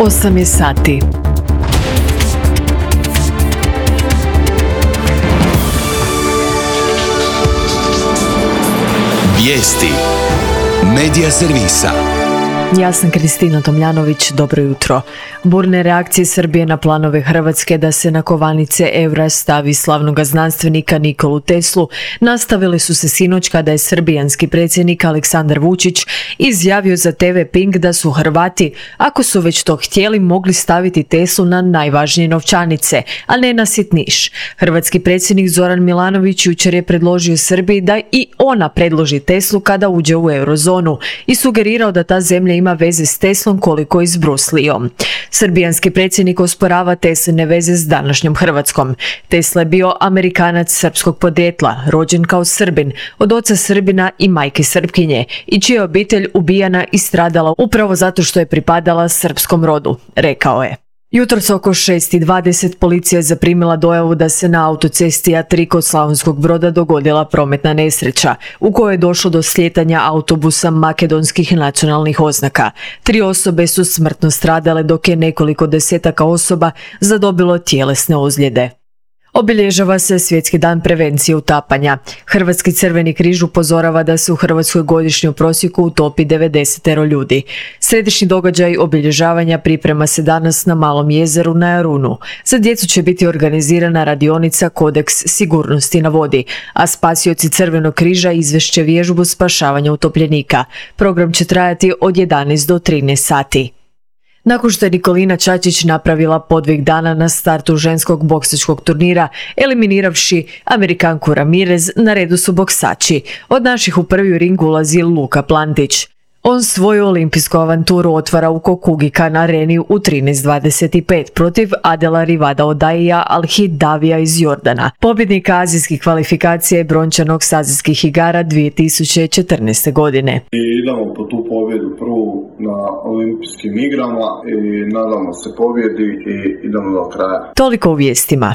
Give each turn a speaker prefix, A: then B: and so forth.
A: 8 je sati.
B: Vijesti Medija servisa.
A: Ja sam Kristina Tomljanović, dobro jutro. Burne reakcije Srbije na planove Hrvatske da se na kovanice eura stavi slavnog znanstvenika Nikolu Teslu nastavile su se sinoć kada je srbijanski predsjednik Aleksandar Vučić izjavio za TV Pink da su Hrvati, ako su već to htjeli, mogli staviti Teslu na najvažnije novčanice, a ne na sitniš. Hrvatski predsjednik Zoran Milanović jučer je predložio Srbiji da i ona predloži Teslu kada uđe u eurozonu i sugerirao da ta zemlja ima veze s Teslom koliko i s Bruslijom. Srbijanski predsjednik osporava Tesline veze s današnjom Hrvatskom. Tesla je bio Amerikanac srpskog podrijetla, rođen kao Srbin, od oca Srbina i majke Srpkinje, i čija je obitelj ubijana i stradala upravo zato što je pripadala srpskom rodu, rekao je. Jutros oko 6:20 policija je zaprimila dojavu da se na autocesti A3 kod Slavonskog Broda dogodila prometna nesreća, u kojoj je došlo do slijetanja autobusa makedonskih nacionalnih oznaka. 3 osobe su smrtno stradale, dok je nekoliko desetaka osoba zadobilo tjelesne ozljede. Obilježava se Svjetski dan prevencije utapanja. Hrvatski Crveni križ upozorava da se u Hrvatskoj godišnje u prosjeku utopi 90 ljudi. Središnji događaj obilježavanja priprema se danas na Malom jezeru na Jarunu. Za djecu će biti organizirana radionica Kodeks sigurnosti na vodi, a spasioci Crvenog križa izvešće vježbu spašavanja utopljenika. Program će trajati od 11 do 13 sati. Nakon što je Nikolina Čačić napravila podvig dana na startu ženskog boksačkog turnira, eliminiravši Amerikanku Ramirez, na redu su boksači. Od naših u prvi ring ulazi Luka Plantić. On svoju olimpijsku avanturu otvara u Kokugikan areni u 13:25 protiv Adela Rivada Odaija Al-Hidavija iz Jordana, pobjednika azijskih kvalifikacija i brončanog s azijskih igara 2014. godine.
C: Idemo po tu pobjedu prvu na olimpijskim igrama i nadamo se pobjedi i idemo do kraja.
A: Toliko u vijestima.